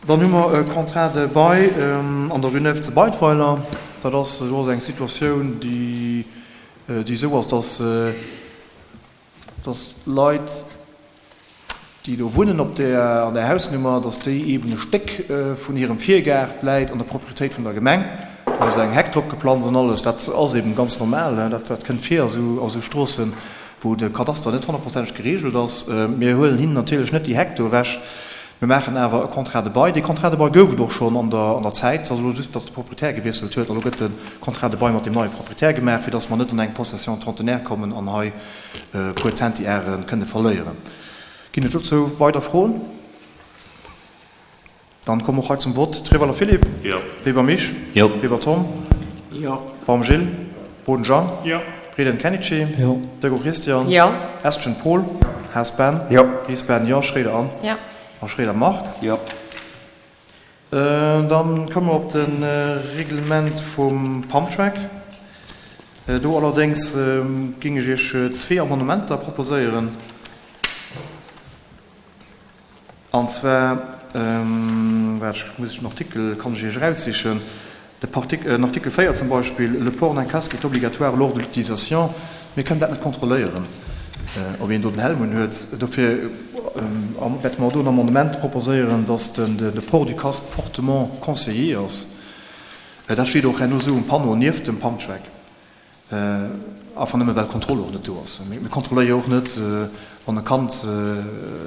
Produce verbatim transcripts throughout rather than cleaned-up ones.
Dann hu mer e Contrat de bail an der Rue Neuve zu Beidweiler. Dat ass do ass eng Situatioun, déi déi esou ass, dass dass d'Leit, déi do wunnen op där an där Hausnummer, dass déi eeben e Stéck vun hirem Virgaart läit an der Propriétéit vun der Gemeng. Do ass eng Heck drop geplanzt an alles. Dat ass eeben ganz normal, dat dat kënnt vir a sou a sou Stroossen, wou de Kadaster net honnertprozenteg geregelt ass. Mir huelen hinnen natierlech net déi Heck do ewech. Mir maachen awer e Contrat de bail. Dee Contrat de bail gouf et och schonn an der an der Zäit. Et ass elo just, datt de Proprietär gewiesselt huet. Elo gëtt de Contrat de bail mat deem neie Proprietär gemaach, fir datt mer net an eng Possession trentenaire kommen an hei e puer Centiare kënne verléieren. Ginn et dozou weider Froen? Dann komme mer och hei zum Vott. Trewalder Philippe? Jo. Weber Misch? Jo. Weber Tom? Jo. Baum Gilles? Boden Jean? Jo. Reding Kenichi? Jo. Dego Christian? Jo. Estgen Paul? Haas Ben? Jo. Ries Ben, jo. Schroeder Anne? Jo. A Schroeder Marc? Jo. Dann komme mer op de Reglement vum Pumptrack. Do allerdéngs géing ech Iech zwee Amendementer proposéieren. An zwar, waart, ech muss den Artikel, kann ech Iech eraussichen, de Partik, den Artikel véier zum Beispill, Le port d'un casque est obligatoire lors de l'utilisation. Mir kënnen dat net kontrolléieren, ob een do den Helm unhuet. Dofir wäerte mer do en Amendement proposéieren, dass den, de port du casque fortement conseillé ass. Dat steet och herno esou um Panneau nieft dem Pumptrack. Einfach nëmme well d'Kontroll och net do ass. Mir kontrolléiere jo och net, wann e Kand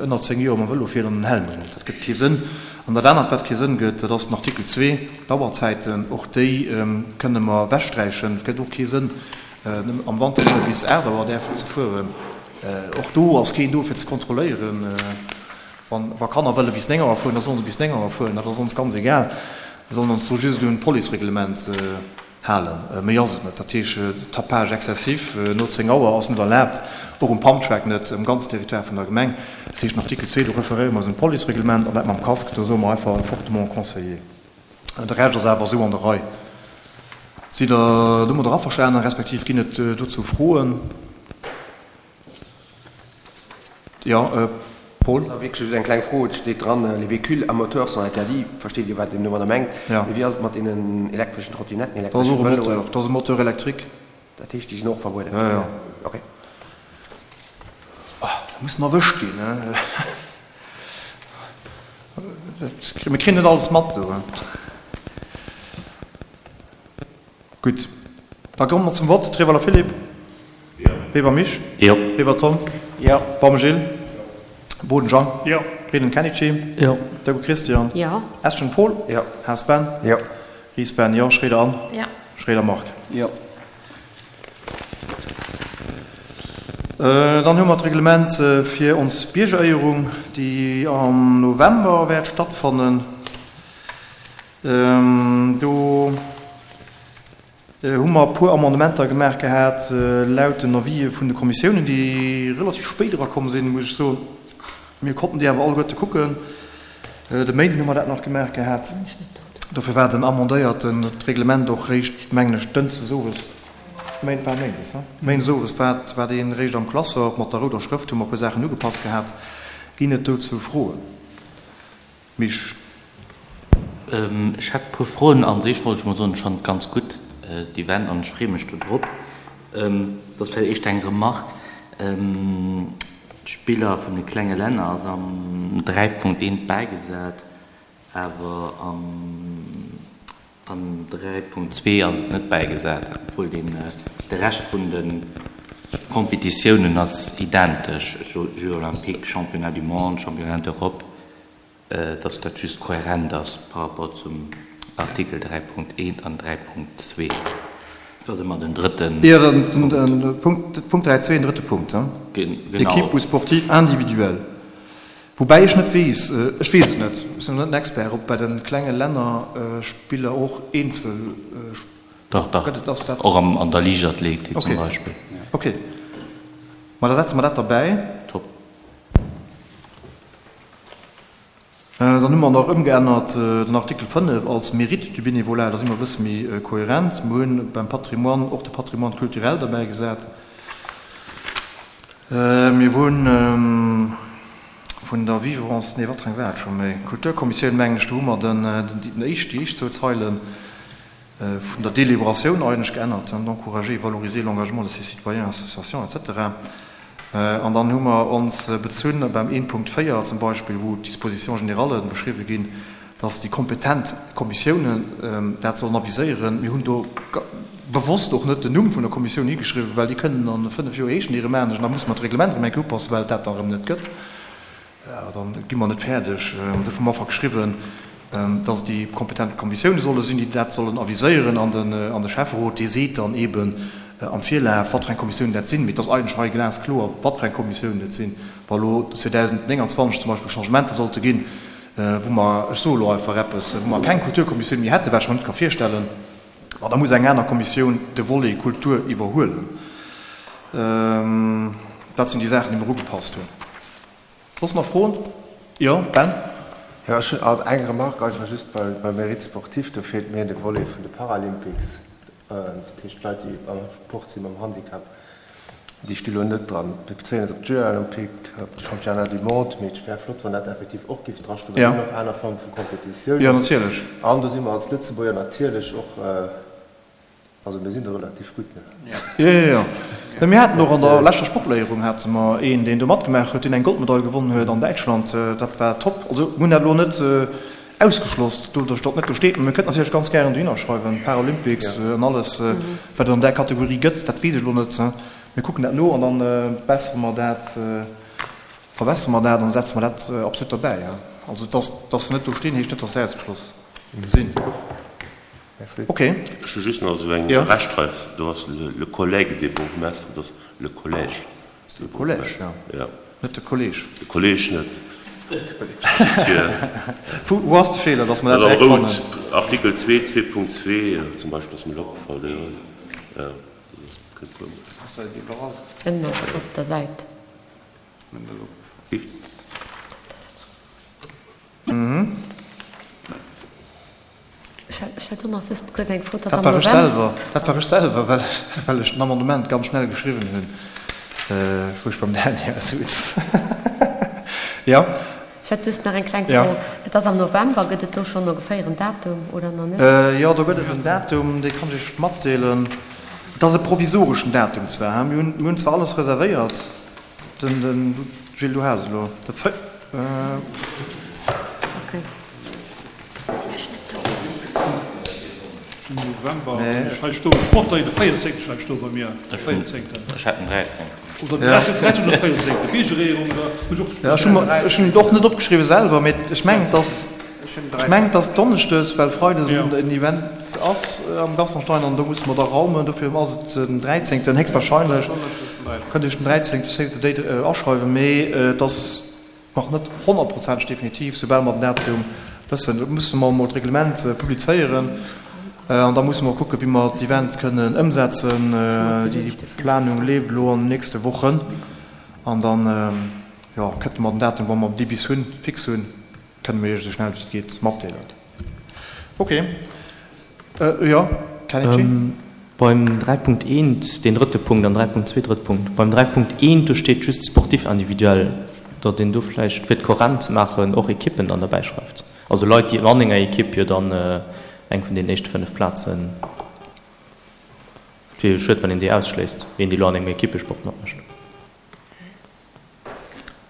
ënner zéng Joer mam Vëlo fiert an en Helm unhuet. Dat gëtt kee Sënn. An dat anert, wat kee Sënn gëtt, dat ass den Artikel zwee, d'Auerzäiten. Och déi kënne mer ewechsträichen. Et gëtt och kee Sënn, am Wanter nëmme bis aacht Auer däerfen ze fueren. Och do ass keen do, fir ze kontrolléieren. Wa Kanner wëlle bis néng Auer fueren, da sollen se bis néng Auer fueren. Dat ass ons ganz egal. Mir sollen ons do just un d'Policereglement halen. Méi ass et net. Dat heesch, Tapage excessif no zéng Auer ass net erlaabt, och um Pumptrack net, um ganzen Territoire vun der Gemeng. Dat heescht, den Artikel zwee, do referéiere mer eis un d'Policereglement an dat mam Casque, do soe mer einfach fortement conseillé. De Rescht ass awer esou an der Rei. Sidd Der domadder averstanen, respektiv ginn et dozou Froen? Jo, Paul? Jo, wierklech just eng kleng Fro. Et steet dran, Les véhicules à moteur sont interdits. Versteet Dir, wat een domadder mengt? Jo. Mee wéi ass et mat deenen elektreschen Trottinetten, Dat ass elektresche och e Vëloen? Moteur. Dat ass e Moteur électrique. Dat heescht, déi sinn och verbueden? Jo, jo. Okay. Ah, da muss en erwëscht ginn, ne? Dat, mir kréien net alles mat do. Gutt, da komme mer zum Vott. Trewalder Philippe? Jo. Weber Misch? Jo. Weber Tom? Jo. Baum Gilles? Boden Jean? Jo. Reding Kenichi? Jo. Deco Christian? Jo. Estgen Paul? Jo. Haas Ben? Jo. Ries Ben, jo. Schroeder Anne? Jo. Schroeder Marc? Jo. Dann hu mer d'Reglement fir ons Biergeréierung, déi am November wäert stattfannen. Do hu mer e puer Amendementer gemaach gehat laut den Avisë vun de Kommissiounen, déi relativ spéit erakomm sinn, muss ech soen. Mir konnten déi awer alleguerte kucken. De Méinden hu mer dat nach gemaach gehat. Dofir war den amendéierten Reglement och réischt, mengen ech, dënschdes owes, Méint, war méindes, he? Méindes owes war, war dee réischt am Classeur. Mat der rouder Schrëft hu mer e puer Saachen ugepasst gehat. Ginn et dozou Froen? Misch. Ech hätt e puer Froen. An sech wollt ech mol soen, ech fannen et ganz gutt, d'Event, an ech freeë mech do drop. Dat ass vläicht éischter eng Remarque. D'Spiller vun de klenge Länner ass am dräi Punkt eent bäigesat, awer am dräi Punkt zwee ass et net bäigesat, obwuel deen de Rescht vun de Competitiounen ass identesch, Jeux olympiques, Championnat du monde, Championnat d'Europe. Dass dat just kohärent ass par rapport zum Artikel dräi Punkt eent an dräi Punkt zwee. Dat ass ëmmer den drëtten Jo, den Punkt, Punkt dräi zwee, den drëtte Punkt, hein? Genau. Équipe ou sportif individuel. Woubäi ech net weess, ech weess et net, ech sinn net den Expert, ob bei de klenge Länner Spiller och eenzel Dach, dach, gëtt. Et ass dat. Och an der Liichtathletik zum Beispill. Okay, ma da setze mer dat derbäi. Top. Dann hu mer nach ëmgeännert den Artikel fënnef als Mérite du bénévolat. Da si mer e bësse méi kohärent. Mer hunn beim Patrimoine och de Patrimoine culturel derbäigesat. Mir hunn vun der Vivre-, nee, wat fir eng war et scho méi? Kulturkommissioun, mengen ech, do hu mer den, den éischt, déi éischt zwou Zeile vun der Délibératioun eigentlech geännert, d'encourager et valoriser l'engagement de ses citoyens, associations, et cetera. An dann hu mer ons bezunn beim een Punkt véier zum Beispill, wou d'Dispositions générales beschriwwen ginn, dass déi kompetent Kommissiounen dat sollen aviséieren. Mir hunn do bewosst och net den Numm vun der Kommissioun higeschriwwen, well déi kënnen a fënnef Joer heeschen déi erëm anescht an da musse mer d'Reglement erëm eng Kéier upassen, well et dat da erëm net gëtt. Da gi mer net fäerdeg. Dofir hu mer einfach geschriwwen, dass et déi kompetent Kommissioune solle sinn, déi dat sollen aviséieren an de Schäfferot, dee seet dann eeben am Virlaf, wat fir eng Kommissiounen dat sinn. Mee et ass eigentlech hei glaskloer, wat fir eng Kommissiounen et sinn. Wa elo zweedausendnénganzwanzeg zum Beispill Changementer sollte ginn, wou mer, ech soe elo einfach eppes, wou mer keng Kulturkommissioun méi hätten, wat ech mer net ka virstellen, ma da muss eng aner Kommissioun de Volet Kultur iwwerhuelen. Dat sinn déi Saachen, déi mer ugepasst hunn. Soss nach Froen? Jo, Ben? Jo, ech hunn alt eng Remarque einfach just beim Mérite sportif, do feelt mir de Volet vun de Paralympics, dat heescht d'Leit, déi am Sport si mam Handicap. Déi sti lo net dran. Mir bezéien eis op d'Jeux olympiques, op de Championnat du monde, mee et wär flott, wann dat effektiv och géif drastoen, well et sinn och aner Forme vu Kompetitiounen. Jo, natierlech. An do si mer als Lëtzebuerger natierlech och, also mir sinn do relativ gutt, ne? Jo, jo, jo. Mä mir haten och an der leschter Sportléierung hate mer een, deen do matgemaach huet, deen eng Goldmedail gewonnen huet an Däitschland. Dat war top. Also mir hunn dat elo net Ausgeschloss, doduerch datt net do steet, mä mir kënnten natierlech ganz gären dohinner schreiwen, Paralympics an alles, wat et an där Kategorie gëtt, dat weess ech elo net. Mir kucken dat no an da bessere mer dat, verbessere mer dat an da setze mer dat absolut derbäi. Also datt datt se net do stinn, heescht net, datt se ausgeschloss sinn. Ok. Ech hu just nach esou eng Rechtschreif, do ass le collègue des bourgmestres, et ass le collège. Le collège, jo. Net de Kolleg. De Kolleg net. Wou ass de Feeler, dass mer dat direkt fannen? Artikel zwee, zwee Punkt zwee zum Beispill ass mir elo opgefall. Ënnen op der Säit. Ech hätt och nach just kuerz eng Fro, Dat war ech selwer, dat war ech selwer, well, well ech den Amendement ganz schnell geschriwwen hunn, wou ech beim Daniel sutz. Jo. Ech hätt just nach eng kleng Fro. Et ass am November, gëtt et do schonn ongeféier en Datum oder nach net? Jo, do gëtt et en Datum, dee kann ech Iech matdeelen. Et ass e provisoreschen Datum zwar, mir hunn, mir hunn zwar alles reservéiert, den, den, Gilles, du has et elo, de véi. Okay. November, ech hei stoen, Sportler, de véierzéngten schreift sto bei mir, de véierzéngten. Ech hat den dräizéngten. Oder den dräizéngten oder véierzéngten, Biergerehrung oder hunn ech och. Ja, ech hu mer, ech hunn et och net opgeschriwwen selwer, mee ech mengen et ass, ech mengen et ass Donneschdes, well Freides en Event ass am Gaston-Stein an do musse mer da raumen, dofir ass et den dräizéngten héchstwahrscheinlech. Kënnt Iech den dräizéngte, save the date, aschreiwen, mee et ass Nach net honnertprozenteg definitiv. Soubal mer den Datum wëssen, musse mer emol d'Reglement publizéieren an da musse mer kucken, wéi mer d'Event kënnen ëmsetzen. Déi Planung leeft elo an den nächste Wochen an dann, jo, kënnte mer den Datum, wa mer dee bis hunn, fix hunn, kënne mer Iech esou schnell wéi et geet matdeelen. Ok. Jo, Kenichi? Beim dräi Punkt eent, deen drëtte Punkt, an dräi Punkt zwee, drëtte Punkt. Beim dräi Punkt eent, do steet just sportif individuel, datt een do vläicht, fir et kohärent ze maachen, och Ekippen dann derbäi schreift. Also Leit, déi an enger Ekipp jo dann eng vun deenen éischte fënnef Plazen. Et wier jo schued, wann een déi ausschléisst, een, dee lo an engem Ekippesport matmécht.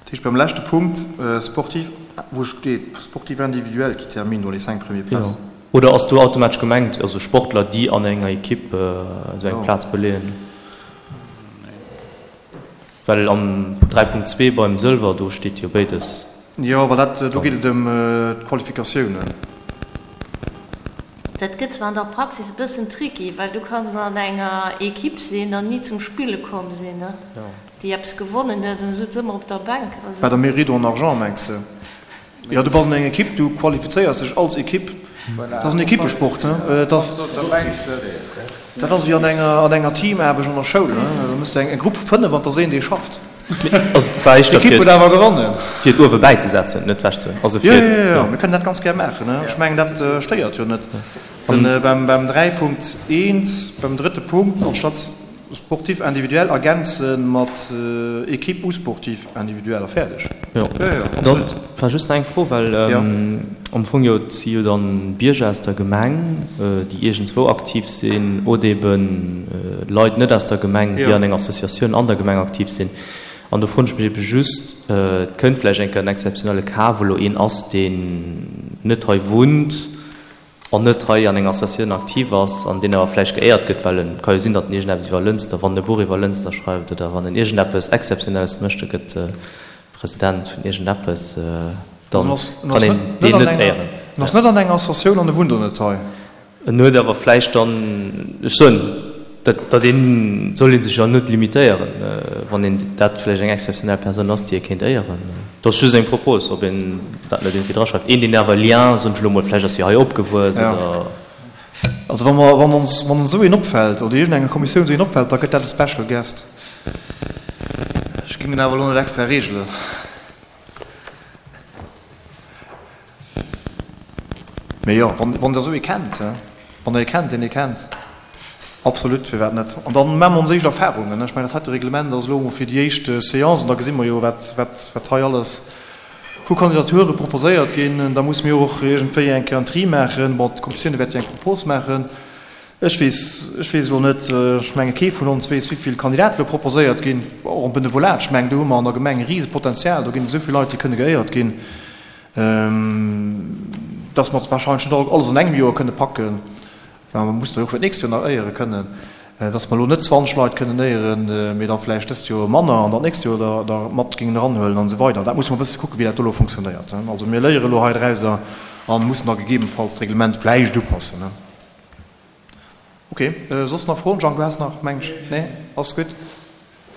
Dat heescht beim leschte Punkt, sportif, wou steet sportif individuel qui termine dans les cinq premiers places. Jo. Oder ass do automatesch gemengt, also Sportler, déi an enger Ekipp esou eng Plaz beleeën? Well am dräi Punkt zwee beim Sëlwer, do steet jo béides. Jo, well dat, do geet et ëm d'Qualifikatiounen. Dat gëtt zwar an der Praxis e bëssen tricky, well du kanns an enger Ekipp sinn an ni zum Spille komm sinn, déi eppes gewonnen huet an esou ëmmer op der Bänk. Bei der Mérite en argent mengs de? Jo, du bass an enger Ekipp, du qualifizéiers dech als Ekipp. Dat ass en Ekippesport. Dat ass dat ass ewéi an enger an enger Teamaarbecht an der Schoul. Do muss de eng Grupp vu fënnef an et ass een, dee schafft. Also et war éischter D'Ekipp fir huet awer gewonnen. fir et uewe bäizesetzen, net ewechzehuelen. Also Jo, fir, jo, jo, jo. mir kënnen dat ganz gär maachen. Ech mengen, dat stéiert jo net. Den, beim, beim dräi Punkt eent, beim drëtte Punkt, anstatt Sportif individuel ergänze mat Équipe ou sportif individuel a fäerdeg. Jo. Dann war just nach eng Fro, well am Fong jo, et si jo dann Bierger aus der Gemeng, déi iergendswou aktiv sinn, oder eben Leit net aus der Gemeng, déi an enger Associatioun an der Gemeng aktiv sinn. An do froen ech mech ebe just, et kënnt vläicht eng Kéier en exzeptionelle Cas, wou elo een ass, deen net hei wunnt an net hei an enger Associatioun aktiv ass an deen awer vläicht geéiert gëtt, well en, et ka jo sinn, datt en iergendeppes iwwer Lënster, wann en e Buch iwwer Lënster schreift oder wann en iergendeppes Exzeptionelles mécht, e gëtt President vun iergendeppes, da kann een deen net éieren. En ass net an enger Associatioun an e wunnt och net hei. En huet awer vläicht dann, ech soen, dat, dat een, soll ee sech jo net limitéieren, wann een dat vläicht eng exzeptionell Persoun ass, déi ee kéint éieren. Dat ass just eng Propos, ob een dat net iergendwéi draschreift. Een, deen awer e Lien, soen ech elo mol, vläicht ass hie hei opgewuess oder. Also wa mer, wann ons, wann ons esou een opfält oder iergendenger Kommissioun esou een opfält, da gëtt dat e Special Guest. Ech géing en awer elo net extra regelen. Mee jo, wann, wann Der esou ee kennt, wann Der ee kennt, deen ee kennt, absolut, firwat net? An da maache mer ons éischt Erfahrungen. Ech mengen, dat heite Reglement ass elo emol fir déi éischt Séance an da gesi mer jo, wat, wat, wat hei alles vu Kandidature proposéiert ginn. Da musse mir och iergendwéi eng Kéier en Tri maachen. Bon, d'Kommissioune wäert jo eng Propos maachen. Ech weess, ech weess elo net, ech menge kee vun ons weess, wéi vill Kandidate elo proposéiert ginn, och am Benevolat. Ech mengen, do hu mer an der Gemeng e Risepotenzial, do ginn esou vill Leit, déi kënne geéiert ginn, dass mer wahrscheinlech net alles an engem Joer kënne packen, well mer mussen jo och fir d'nächst Joer nach éiere kënnen, dass mer elo net zwanzeg Leit kënnen éieren, mee da vläicht dëst Joer manner an dat nächst Joer der der mat géingen eranhuelen an esou weider. Dat musse mer e bësse kucken, wéi dat do elo funktionéiert. Also mir léiere elo hei drauser a mussen da gegebenfalls d'Reglement vläicht upassen. Ok, soss nach Froen? Jean, du has nach, meng ech. Nee? Ass gutt.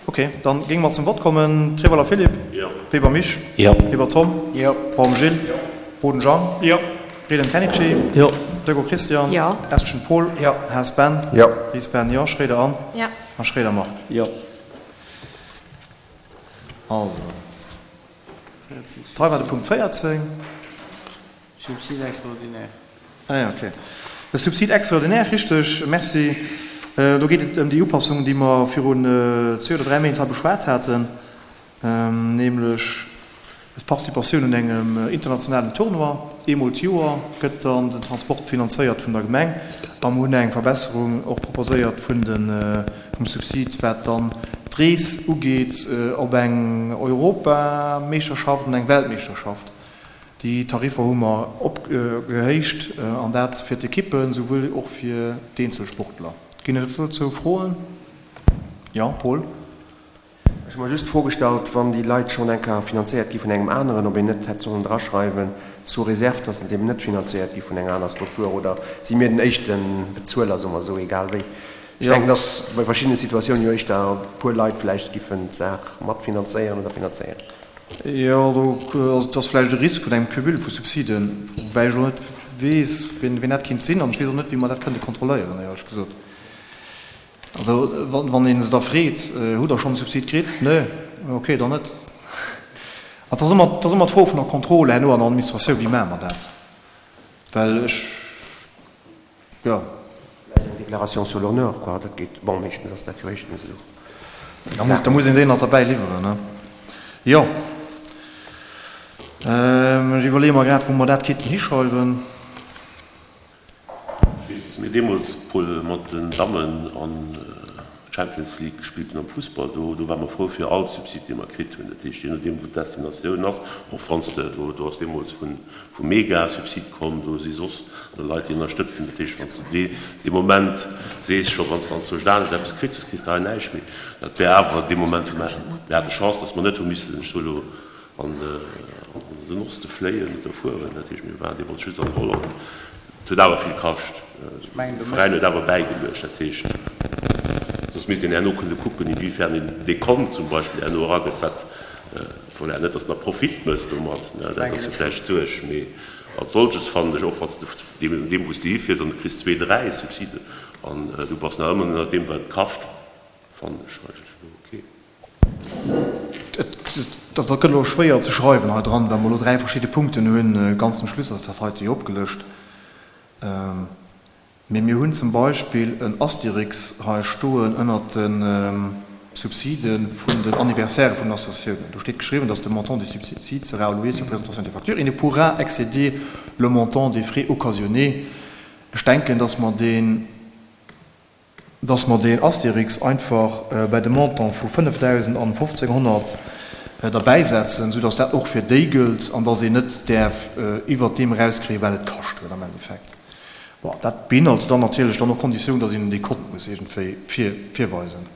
Ok, dann géinge mer zum Vott kommen. Treweiler Philippe? Jo. Weber Misch? Jo. Weber Tom? Jo. Baum Gilles? Jo. Boden Jean? Jo. Redem Kenichi? Jo. Dögo Christian? Jo. Estgen Paul? Jo. Haas Ben? Jo. Ries Ben? Jo. Schroeder Anne? Jo. A Schroeder Marc? Jo. Also, dat hei war de Punkt véierzéng. Subside extraordinaire. Ah ja, okay. De Subside extraordinaire, richteg, merci. Do geet et ëm déi Upassung, déi mer virun zwee oder dräi Méint hei beschwat haten, nämlech d'Participatioun un engem internationalen Tournoi. Eemol d'Joer gëtt dann den Transport finanzéiert vun der Gemeng. A mer hunn eng Verbesserung och proposéiert vun de, vum Subsid, wat dann d'Rees ugeet op eng Europameeschterschaft an eng Weltmeeschterschaft. Déi Tariffer hu mer opgehéicht, an dat fir d'Ekippen souwuel och fir d'Eenzelsportler. Ginn et dozou Froen? Jo, Paul. Ech hu mer just d'Fro gestallt, wann déi Leit schonn eng Kéier finanzéiert gi vun engem aneren, ob een net hätt sollen draschreiwen, sous réserve, dass se eben net finanzéiert gi vun enger aner Struktur, oder si mir den éischte Bezueler, soe mer esou, egal wéi. Ech denken, dass bei verschiddene Situatiounen jo éischter e puer Leit vläicht giffen d'Saach matfinanzéieren oder finanzéieren. Jo, do ass, et ass vläicht e Risk vun engem Cumul vu Subsiden, woubäi ech elo net weess, wien, wien dat kéint sinn, an ech weess och net, wéi mer dat kënnte kontrolléieren, éierlech gesot. Also, wann, wann ee se da freet, Hutt Der schonn e Subsid kritt? Nee? Okay, dann net. An et ass ëmmer, et ass ëmmer d'Fro vun der Kontroll herno an der Administratioun, wéi maache mer dat? Well ech, Jo. Vläicht eng Déclaration sur l'honneur, quoi, dat geet. Bon, meeschtens ass dat jo éischtens esou. Da muss, da muss een déi nach derbäi liwweren, ne? Jo. Ech iwwerleeë mer grad, wou mer dat kéinten hischreiwen. Ech weess, dass mir deemools, Paul, mat den Dammen an d'Champions League gespillt hunn am Fussball. Do, do ware mer frou fir all Subsid, dee mer kritt hunn. Dat heescht, jee nodeem, wou d'Destinatioun ass, och wann s de, do, do ass deemools vun, vum Mega Subsid komm, do si soss nach Leit, déi ënnerstëtzt hunn. Dat heescht, wann s de dee, dee Moment sees, scho wann s de anzwousch anescht eppes kritt hues, kriss de hei näischt méi. Dat wär awer dee Moment, wou mer, mir hate Chance, dass mer net hu missen, ech soe lo, an den Oste fléien oder fueren. Dat heescht, mir waren deemools just an Holland. Et huet awer vill kascht. De Veräin huet awer bäigeluecht. Dat heescht, soss misst een herno kënne kucken, inwiefern een dee Kont zum Beispill herno eragëtt, wat, voilà, net datt en da Profit mécht domat, dat ass jo vläicht d'Suerg, mee als solches fannen ech, och wann s de deem, deem wou s de hifiers an du kriss zwee, dräi Subsiden an du bass nach ëmmer ënnert deem, wat et kascht, fannen ech eigentlech elo ok. Dat gëtt elo schwéier ze schreiwen hei dran, well mer elo dräi verschidde Punkten hunn. Ganz zum Schluss ass dat heite jo opgelëscht. Mee mir hunn zum Beispill en Astérix hei stoen ënnert de Subside vun den Anniversairë vun den Associatiounen. Do steet geschriwwen, dass de montant du subside sera alloué sur présentation des factures et ne pourra excéder le montant des frais occasionnés. Ech denken, dass mer deen, dass mer deen Astérix einfach bäi de Montant vu fënnefdausend an fofzénghonnert derbäisetzen, soudass dat och fir déi gëllt an dass een net däerf iwwert deem erauskréien, wat et kascht huet am Endeffekt. Bon, dat beinhalt dann natierlech dann och d'Konditioun, dass een en Dekont muss iergendwéi virweisen.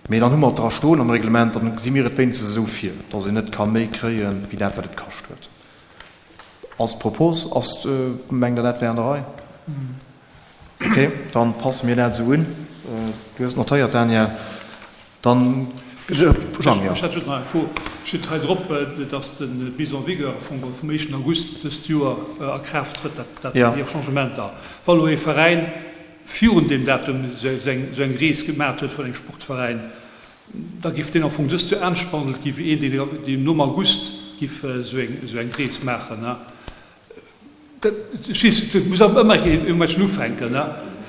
Mee dann hu mer et dra stoen am Reglement, dann gesi mir et wéinstens esou vir, dass een net ka méi kréien, wéi dat, wat et kascht huet. Ass d'Propos, ass, mengt Der, dat wär an der Rei? Okay, dann passe mir dat esou un. Du hues et notéiert, Daniel. Dann, Jang, jo. Ech hätt just nach eng Fro. Steet hei drop, dass d'Mise en vigueur am Fong vum éischten August dëst Joer a Kraaft trëtt, dat déi Changementer. Wa lo ee Veräin virun deem Datum esou eng Rees gemat huet vun engem Sportveräin, da giff deen am Fong dëst Joer anescht behandelt gi wéi een, deen nom August giff esou eng Rees maachen. Ech weess, et muss awer ëmmer iergendwou ufänken.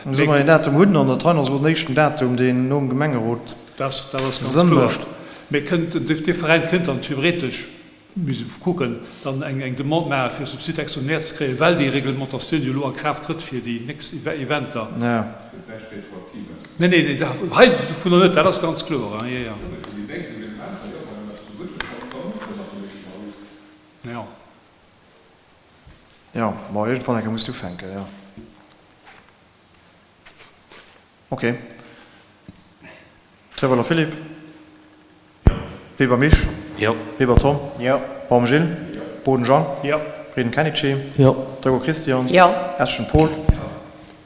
Solle mer een Datum hunn? An dat hei ass elo den éischten Datum, deen nom Gemengerot Dat ass ganz Sënn kloer. mécht. Mee kënnt, dee Veräin kënnt dann theoretesch, muss ee kucken, dann eng Demande maachen, fir e Subside extraordinaire ze kréien, well déi Reglementatioun jo elo a Kraaft trëtt fir déi nächst Eventer. Jo. Gëtt näischt Retroaktives. Nee, nee, hei dovunner net, dat ass ganz kloer. Jo, jo. Jo, mee fir déi nächst Evenementer, jo, wann een eppes zu Gutt bekommt, da muss dat ab dem éischten August. Jo. Jo, ma iergendwann eng Kéier muss et ufänken, jo. Ok. Trewolwer Philippe? Jo. Weber Misch? Jo. Weber Tom? Jo. Baum Gilles? Jo. Boden Jean? Jo. Frieden Kenichi? Jo. Dregger Christian? Jo. Eschen Paul? Jo.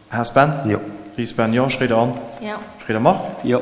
Haas Ben? Jo. Ries Ben, jo. Schréider Anne? Jo. Schréider Marc? Jo.